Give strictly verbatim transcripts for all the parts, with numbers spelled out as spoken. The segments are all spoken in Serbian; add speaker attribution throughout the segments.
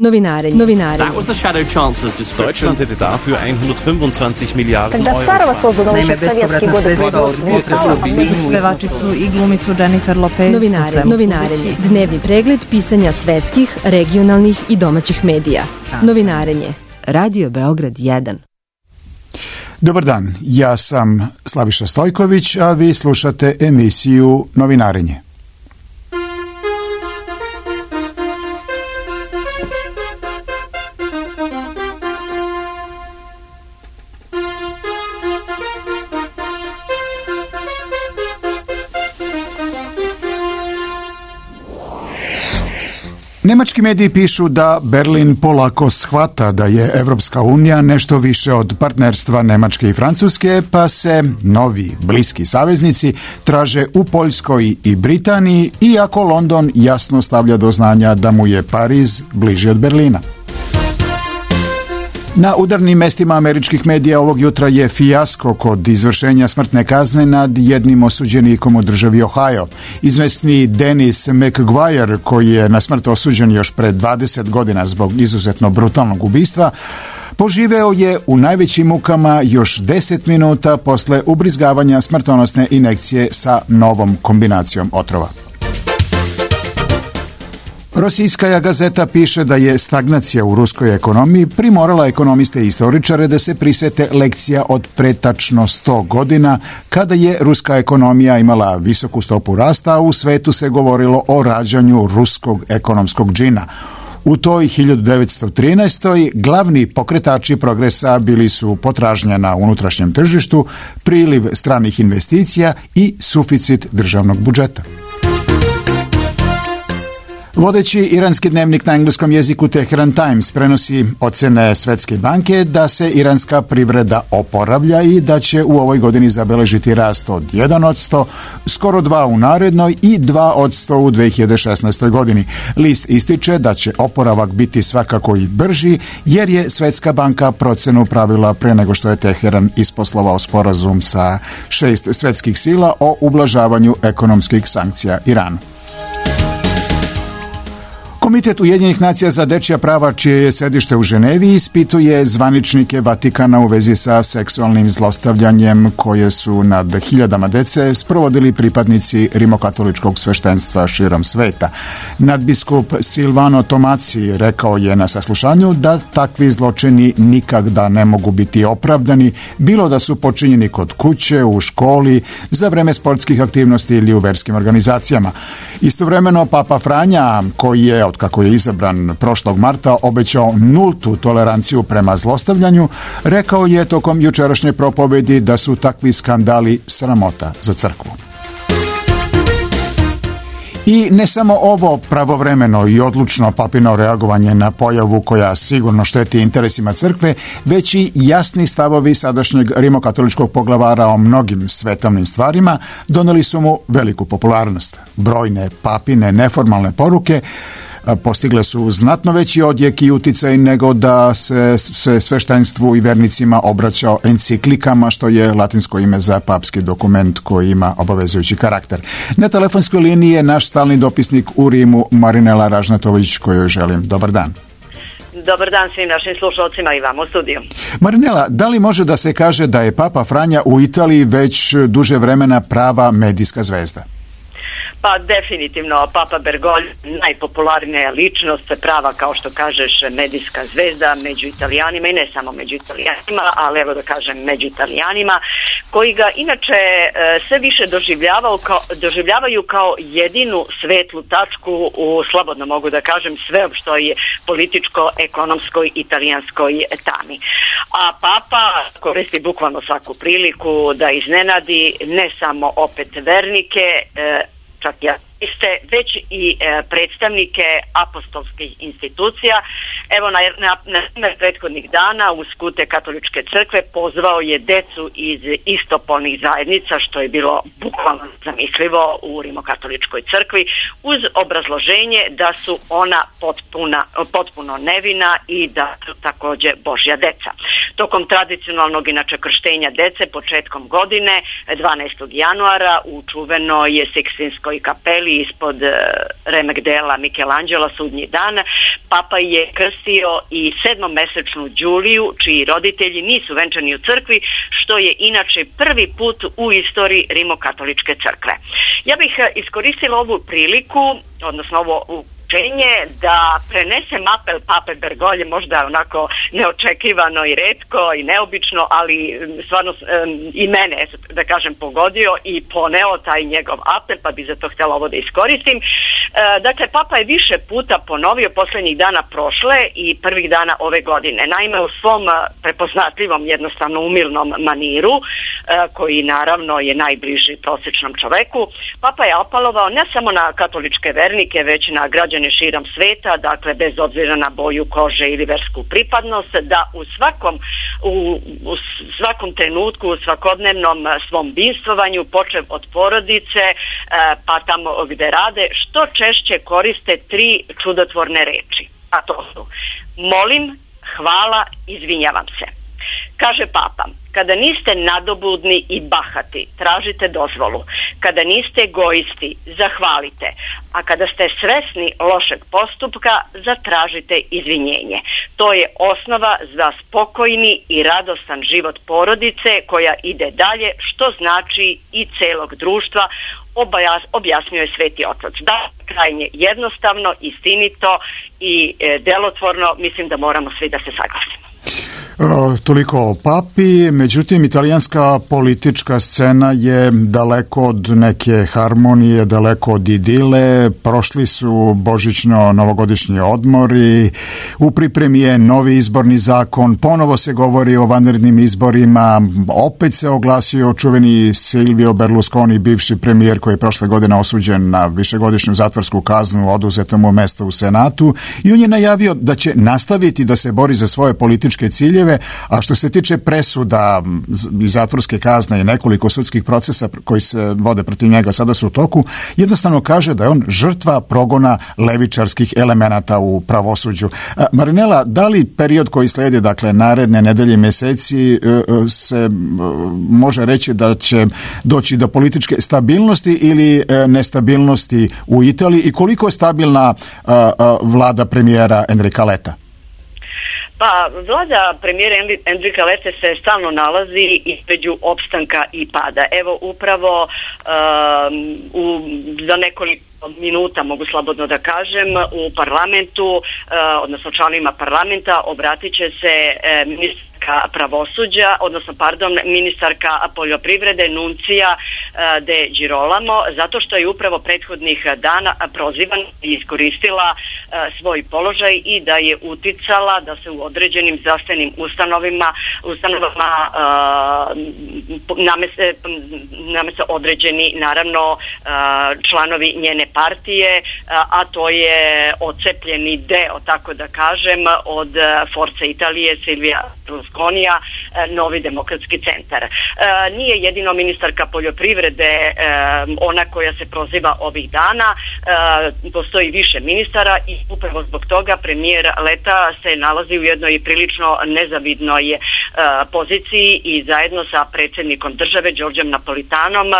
Speaker 1: Novinarenje. Novinarenje.
Speaker 2: That was the shadow chancellor's description.
Speaker 3: Deutschland hätte dafür hundertfünfundzwanzig Milliarden Euro.
Speaker 4: Naime, bespovratna sredstva od pevačicu i glumicu Jennifer Lopez.
Speaker 1: Novinarenje. Novinarenje. Dnevni pregled pisanja svetskih, regionalnih i domaćih medija. Novinarenje. Radio Beograd jedan.
Speaker 5: Dobar dan, ja sam Slaviša Stojković, a vi slušate emisiju Novinarenje. Nemački mediji pišu da Berlin polako shvata da je Evropska unija nešto više od partnerstva Nemačke i Francuske, pa se novi bliski saveznici traže u Poljskoj i Britaniji, iako London jasno stavlja do znanja da mu je Pariz bliži od Berlina. Na udarnim mestima američkih medija ovog jutra je fijasko kod izvršenja smrtne kazne nad jednim osuđenikom u državi Ohio. Izvesni Dennis McGuire, koji je na smrt osuđen još pre dvadeset godina zbog izuzetno brutalnog ubistva, poživeo je u najvećim mukama još deset minuta posle ubrizgavanja smrtonosne injekcije sa novom kombinacijom otrova. Rosijska gazeta piše da je stagnacija u ruskoj ekonomiji primorala ekonomiste i istoričare da se prisete lekcija od pre tačno sto godina, kada je ruska ekonomija imala visoku stopu rasta, a u svetu se govorilo o rađanju ruskog ekonomskog džina. U toj hiljadu devetsto trinaestoj. glavni pokretači progresa bili su potražnja na unutrašnjem tržištu, priliv stranih investicija i suficit državnog budžeta. Vodeći iranski dnevnik na engleskom jeziku Teheran Times prenosi ocene Svetske banke da se iranska privreda oporavlja i da će u ovoj godini zabeležiti rast od jedan posto, skoro dva u narednoj i dva posto u dve hiljade šesnaestoj. godini. List ističe da će oporavak biti svakako i brži, jer je Svetska banka procenu pravila pre nego što je Teheran isposlovao sporazum sa šest svetskih sila o ublažavanju ekonomskih sankcija Iranu. Komitet Ujedinjenih nacija za dečja prava, čije je sedište u Ženevi, ispituje zvaničnike Vatikana u vezi sa seksualnim zlostavljanjem koje su nad hiljadama dece sprovodili pripadnici rimokatoličkog sveštenstva širom sveta. Nadbiskup Silvano Tomaci rekao je na saslušanju da takvi zločini nikada ne mogu biti opravdani, bilo da su počinjeni kod kuće, u školi, za vreme sportskih aktivnosti ili u verskim organizacijama. Istovremeno, Papa Franja, koji je od kako je izabran prošlog marta, obećao nultu toleranciju prema zlostavljanju, rekao je tokom jučerašnje propovedi da su takvi skandali sramota za crkvu. I ne samo ovo pravovremeno i odlučno papino reagovanje na pojavu koja sigurno šteti interesima crkve, već i jasni stavovi sadašnjeg rimokatoličkog poglavara o mnogim svetovnim stvarima doneli su mu veliku popularnost. Brojne papine neformalne poruke postigle su znatno veći odjek i uticaj nego da se, se sveštenstvu i vernicima obraćao enciklikama, što je latinsko ime za papski dokument koji ima obavezujući karakter. Na telefonskoj liniji je naš stalni dopisnik u Rimu, Marinela Ražnatović, kojoj želim dobar dan.
Speaker 6: Dobar dan svim našim slušalcima i vam u studiju.
Speaker 5: Marinela, da li može da se kaže da je Papa Franja u Italiji već duže vremena prava medijska zvezda?
Speaker 6: Pa definitivno, Papa Bergoglio, najpopularnija ličnost, prava, kao što kažeš, medijska zvezda među Italijanima i ne samo među Italijanima, ali evo da kažem među Italijanima, koji ga inače sve više doživljavaju kao, doživljavaju kao jedinu svetlu tačku u, slobodno mogu da kažem, sveopštoj političko-ekonomskoj italijanskoj tami. A Papa koristi bukvalno svaku priliku da iznenadi ne samo opet vernike, čak i ateiste, već i e, predstavnike apostolskih institucija. Evo, na, na, na primer prethodnih dana uz skute katoličke crkve pozvao je decu iz istopolnih zajednica, što je bilo bukvalno zamislivo u rimokatoličkoj crkvi, uz obrazloženje da su ona potpuna, potpuno nevina i da su takođe Božja deca. Tokom tradicionalnog inače krštenja dece početkom godine, dvanaestog januara, u čuvenoj Sikstinskoj kapeli ispod remek-dela Michelangela Sudnji dan, Papa je krstio i sedmomesečnu Đuliju, čiji roditelji nisu venčani u crkvi, što je inače prvi put u istoriji rimokatoličke crkve. Ja bih iskoristila ovu priliku, odnosno ovo da prenesem apel Pape Bergolje, možda onako neočekivano i retko i neobično, ali stvarno um, i mene, da kažem, pogodio i poneo taj njegov apel, pa bi za to htjela ovo da iskoristim. E, dakle, Papa je više puta ponovio poslednjih dana prošle i prvih dana ove godine. Naime, u svom prepoznatljivom, jednostavno umilnom maniru, e, koji naravno je najbliži prosječnom čoveku, Papa je apelovao ne samo na katoličke vernike, već na građane širom sveta, dakle bez obzira na boju kože ili versku pripadnost, da u svakom, u, u svakom trenutku, u svakodnevnom svom binstvovanju, počev od porodice, pa tamo gde rade, što češće koriste tri čudotvorne reči. A to su: molim, hvala, izvinjavam se. Kaže Papa, kada niste nadobudni i bahati, tražite dozvolu. Kada niste egoisti, zahvalite. A kada ste svesni lošeg postupka, zatražite izvinjenje. To je osnova za spokojni i radostan život porodice koja ide dalje, što znači i celog društva, objasnio je Sveti Otac. Da, krajnje jednostavno, istinito i e, delotvorno, mislim da moramo svi da se saglasimo.
Speaker 5: O, toliko o papi, međutim italijanska politička scena je daleko od neke harmonije, daleko od idile. Prošli su božićno-novogodišnji odmori, u pripremi je novi izborni zakon, ponovo se govori o vanrednim izborima, opet se oglasio čuveni Silvio Berlusconi, bivši premijer koji je prošle godine osuđen na višegodišnju zatvorsku kaznu, oduzeto mu mesto u Senatu, i on je najavio da će nastaviti da se bori za svoje političke ciljeve. A što se tiče presuda i zatvorske kazne i nekoliko sudskih procesa koji se vode protiv njega sada su u toku, jednostavno kaže da je on žrtva progona levičarskih elemenata u pravosuđu. Marinela, da li period koji slijedi, dakle naredne nedelje i meseci, se može reći da će doći do političke stabilnosti ili nestabilnosti u Italiji i koliko je stabilna vlada premijera Enrika Letta?
Speaker 6: Pa, vlada premijera Enrika Lette se stalno nalazi između opstanka i pada. Evo, upravo um, u, za nekoliko minuta, mogu slobodno da kažem, u parlamentu, uh, odnosno članovima parlamenta, obratit će se uh, ministar pravosuđa, odnosno, pardon, ministarka poljoprivrede Nuncija de Girolamo, zato što je upravo prethodnih dana prozivan i iskoristila svoj položaj i da je uticala da se u određenim zdravstvenim ustanovima, ustanovama namese, namese određeni, naravno, članovi njene partije, a to je ocepljeni deo, tako da kažem, od Forza Italije, Silvija Berlusconija, Novi demokratski centar. Nije jedino ministarka poljoprivrede ona koja se proziva ovih dana, postoji više ministara i upravo zbog toga premijer Letta se nalazi u jednoj prilično nezavidnoj poziciji i zajedno sa predsjednikom države Đorđem Napolitanom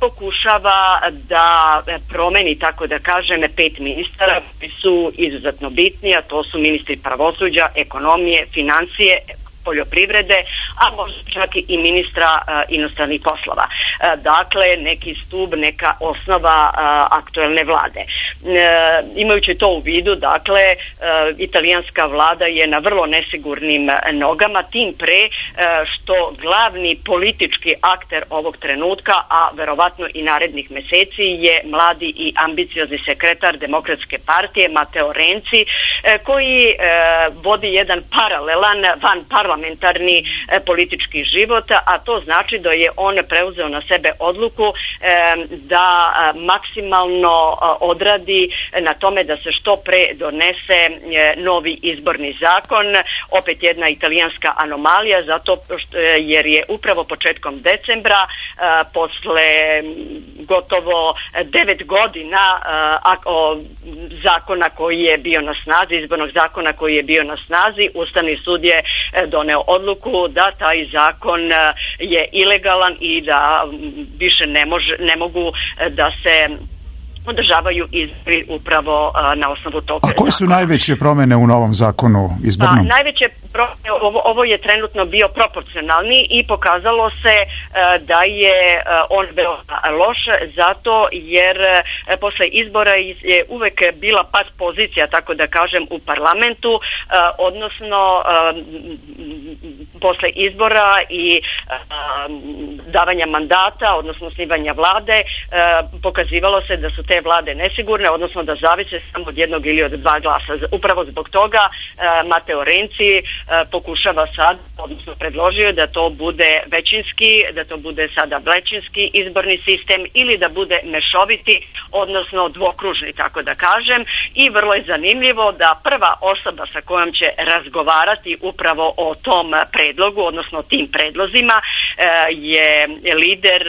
Speaker 6: pokušava da promeni, tako da kažem, pet ministara koji su izuzetno bitni, a to su ministri pravosuđa, ekonomije, financije, poljoprivrede, a možda čak i ministra uh, inostranih poslova. Uh, dakle, neki stub, neka osnova uh, aktuelne vlade. Uh, imajući to u vidu, dakle, uh, italijanska vlada je na vrlo nesigurnim nogama, tim pre uh, što glavni politički akter ovog trenutka, a verovatno i narednih meseci, je mladi i ambiciozni sekretar Demokratske partije Matteo Renzi, uh, koji uh, vodi jedan paralelan, van parlamentarni parlamentarni politički život, a to znači da je on preuzeo na sebe odluku da maksimalno odradi na tome da se što pre donese novi izborni zakon, opet jedna italijanska anomalija, zato što, jer je upravo početkom decembra, posle gotovo devet godina zakona koji je bio na snazi, izbornog zakona koji je bio na snazi, Ustavni sud je doneo odluku da taj zakon je ilegalan i da više ne, može, ne mogu da se održavaju izbori upravo uh, na osnovu toga.
Speaker 5: A koje su najveće promjene u novom zakonu izbornom?
Speaker 6: Pa, najveće promjene, ovo, ovo je trenutno bio proporcionalni i pokazalo se uh, da je uh, on veoma loš, zato jer uh, posle izbora je uvek bila pas pozicija, tako da kažem, u parlamentu, uh, odnosno uh, posle izbora i uh, davanja mandata, odnosno osnivanja vlade, uh, pokazivalo se da su te vlade nesigurne, odnosno da zavise samo od jednog ili od dva glasa. Upravo zbog toga uh, Mateo Renzi uh, pokušava sad, odnosno predložio da to bude većinski, da to bude sada većinski izborni sistem ili da bude mešoviti, odnosno dvokružni, tako da kažem. I vrlo je zanimljivo da prva osoba sa kojom će razgovarati upravo o tom predlogu, odnosno tim predlozima, uh, je lider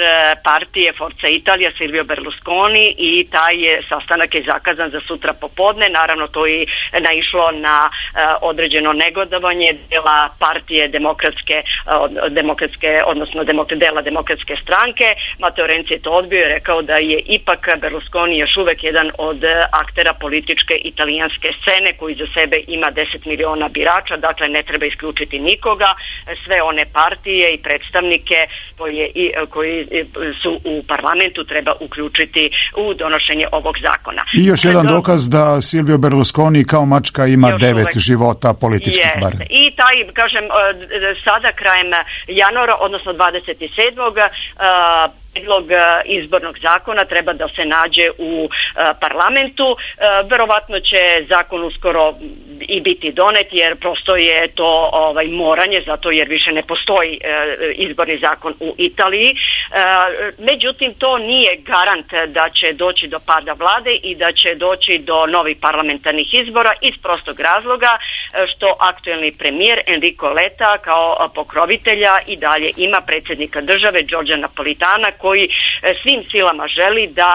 Speaker 6: partije Forza Italia Silvio Berlusconi i taj je sastanak je zakazan za sutra popodne. Naravno, to je naišlo na uh, određeno negodovanje dela partije demokratske, uh, demokratske odnosno demok, dela demokratske stranke. Matteo Renzi je to odbio i rekao da je ipak Berlusconi još uvek jedan od aktera političke italijanske scene koji za sebe ima deset miliona birača, dakle ne treba isključiti nikoga. Sve one partije i predstavnike koje, i, koji su u parlamentu treba uključiti u donošenje ovog zakona.
Speaker 5: I još jedan dokaz da Silvio Berlusconi kao mačka ima još devet uvek života političkih
Speaker 6: yes.
Speaker 5: bar.
Speaker 6: I taj, kažem, sada krajem januara, odnosno dvadeset sedmog predlog izbornog zakona treba da se nađe u parlamentu. Verovatno će zakon uskoro i biti donet, jer prosto je to ovaj moranje, zato jer više ne postoji izborni zakon u Italiji. Međutim, to nije garant da će doći do pada vlade i da će doći do novih parlamentarnih izbora iz prostog razloga što aktuelni premijer Enrico Letta kao pokrovitelja i dalje ima predsjednika države Giorgia Napolitana, koji svim silama želi da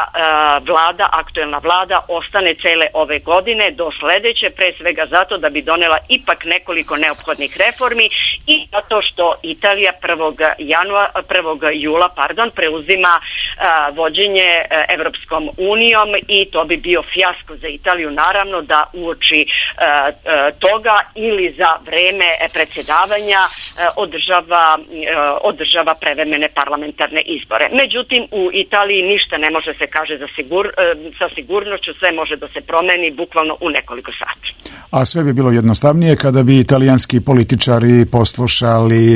Speaker 6: vlada, aktuelna vlada ostane cele ove godine do sledeće, pre svega zato da bi donela ipak nekoliko neophodnih reformi i zato što Italija prvog januara, prvog jula, pardon, preuzima a, vođenje a, Evropskom unijom i to bi bio fijasko za Italiju, naravno, da uoči a, a, toga ili za vreme predsjedavanja a, održava, a, održava prevremene parlamentarne izbore. Međutim, u Italiji ništa ne može se kaže za sigur, a, sa sigurnošću, sve može da se promeni bukvalno u nekoliko sati.
Speaker 5: A sve bi bilo jednostavnije kada bi italijanski političari poslušali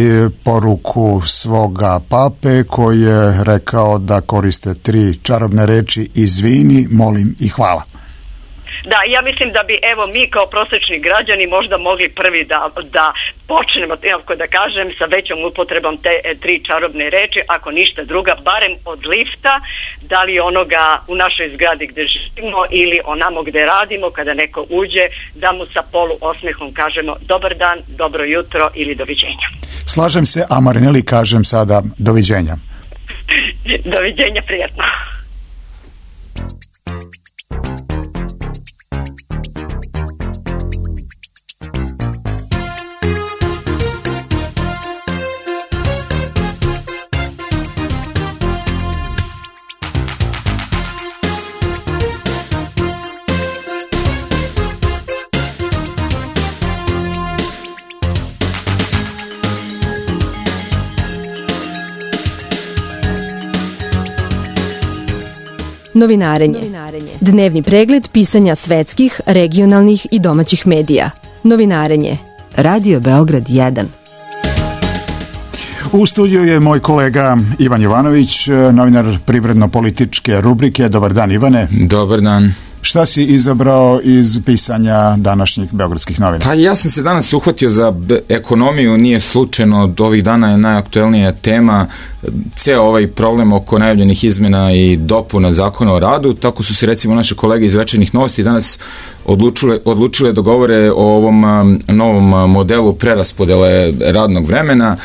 Speaker 5: poruku svoga pape koji je rekao da koriste tri čarobne reči: izvini, molim i hvala.
Speaker 6: Da, ja mislim da bi, evo, mi kao prosječni građani možda mogli prvi da, da počnemo, tako da kažem, sa većom upotrebom te e, tri čarobne reči, ako ništa druga, barem od lifta, da li onoga u našoj zgradi gde živimo ili onamo gde radimo, kada neko uđe, da mu sa polu osmehom kažemo dobar dan, dobro jutro ili doviđenja.
Speaker 5: Slažem se, a Marineli kažem sada doviđenja.
Speaker 6: Doviđenja, prijatno.
Speaker 1: Novinarenje. Dnevni pregled pisanja svetskih, regionalnih i domaćih medija. Novinarenje. Radio Beograd jedan.
Speaker 5: U studiju je moj kolega Ivan Jovanović, novinar privredno-političke rubrike. Dobar dan, Ivane.
Speaker 2: Dobar dan.
Speaker 5: Šta si izabrao iz pisanja današnjih beogradskih novina?
Speaker 2: Pa ja sam se danas uhvatio za ekonomiju, nije slučajno, od ovih dana je najaktuelnija tema ceo ovaj problem oko najavljenih izmena i dopuna zakona o radu. Tako su se recimo naše kolege iz Večernjih novosti danas odlučile, odlučile da govore o ovom novom modelu preraspodele radnog vremena,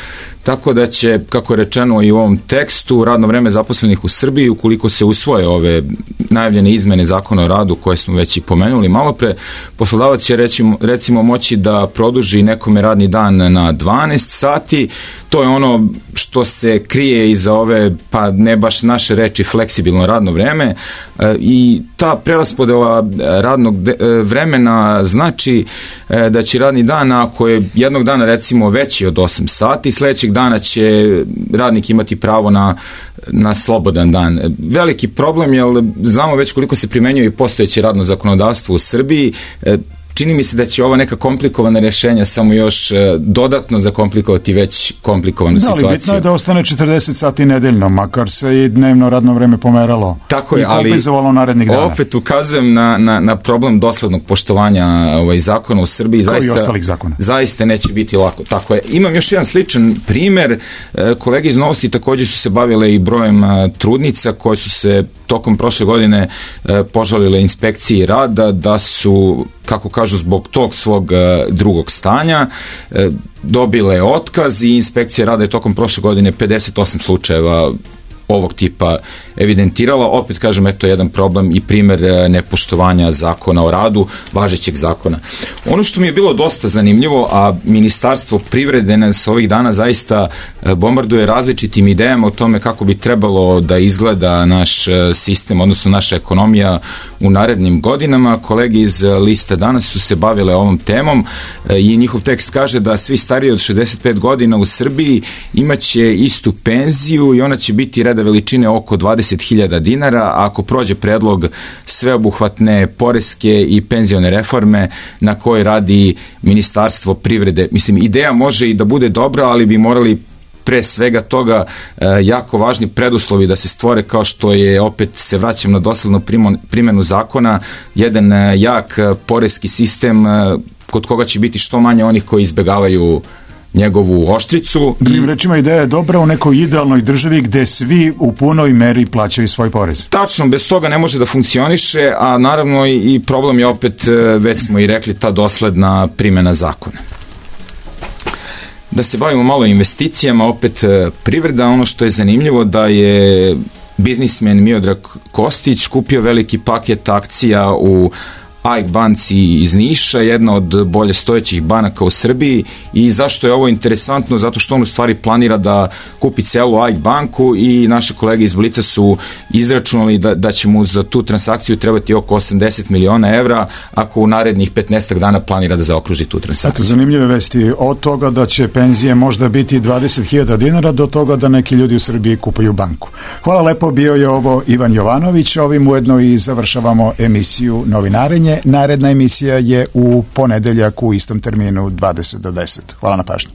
Speaker 2: tako da će, kako je rečeno i u ovom tekstu, radno vreme zaposlenih u Srbiji, ukoliko se usvoje ove najavljene izmene zakona o radu koje smo već i pomenuli malo pre, poslodavac će recimo, recimo moći da produži nekome radni dan na dvanaest sati. To je ono što se krije iza ove, pa ne baš naše reči, fleksibilno radno vreme, i ta preraspodela radnog vremena znači da će radni dan, ako je jednog dana recimo veći od osam sati, sledećeg dana će radnik imati pravo na, na slobodan dan. Veliki problem je, znamo već koliko se primenjuje i postojeće radno zakonodavstvo u Srbiji. Čini mi se da će ova neka komplikovana rješenja samo još dodatno zakomplikovati već komplikovanu situaciju. Da, ali bitno
Speaker 5: je da ostane četrdeset sati nedeljno, makar se i dnevno radno vreme pomeralo.
Speaker 2: Tako je,
Speaker 5: i kompenzovalo narednih dana.
Speaker 2: Opet ukazujem na, na, na problem doslednog poštovanja ovaj, zakona u Srbiji.
Speaker 5: Kao
Speaker 2: zaista,
Speaker 5: i ostalih zakona.
Speaker 2: Zaista neće biti lako. Tako je. Imam još jedan sličan primer. Kolege iz Novosti također su se bavile i brojem trudnica koje su se tokom prošle godine požalile inspekciji rada da su, kako kažu, zbog tog svog drugog stanja dobile otkaz i inspekcija rada je tokom prošle godine pedeset osam slučajeva ovog tipa evidentirala. Opet kažem, eto jedan problem i primer nepoštovanja zakona o radu, važećeg zakona. Ono što mi je bilo dosta zanimljivo, a Ministarstvo privrede nas ovih dana zaista bombarduje različitim idejama o tome kako bi trebalo da izgleda naš sistem, odnosno naša ekonomija u narednim godinama. Kolege iz Lista danas su se bavile ovom temom i njihov tekst kaže da svi stariji od šezdeset pet godina u Srbiji imaće istu penziju i ona će biti reda veličine oko dvadeset hiljada dinara, a ako prođe predlog sveobuhvatne poreske i penzione reforme na kojoj radi Ministarstvo privrede. Mislim, ideja može i da bude dobra, ali bi morali pre svega toga jako važni preduslovi da se stvore, kao što je, opet se vraćam na doslednu primjenu zakona, jedan jak poreski sistem kod koga će biti što manje onih koji izbegavaju njegovu oštricu.
Speaker 5: Drugim rečima, ideja je dobra u nekoj idealnoj državi gde svi u punoj meri plaćaju svoj porez.
Speaker 2: Tačno, bez toga ne može da funkcioniše, a naravno i problem je opet, već smo i rekli, ta dosledna primjena zakona. Da se bavimo malo investicijama, opet privreda, ono što je zanimljivo da je biznismen Miodrag Kostić kupio veliki paket akcija u A I K banci iz Niša, jedna od bolje stojećih banaka u Srbiji. I zašto je ovo interesantno? Zato što on u stvari planira da kupi celu A I K banku i naše kolege iz Blica su izračunali da, da će mu za tu transakciju trebati oko osamdeset miliona evra ako u narednih petnaestak dana planira da zaokruži tu transakciju.
Speaker 5: Eto, zanimljive vesti od toga da će penzije možda biti dvadeset hiljada dinara do toga da neki ljudi u Srbiji kupuju banku. Hvala lepo, bio je ovo Ivan Jovanović, ovim ujedno i završavamo emisiju Novinarenje. Naredna emisija je u ponedeljak u istom terminu dvadeset do deset. Hvala na pažnju.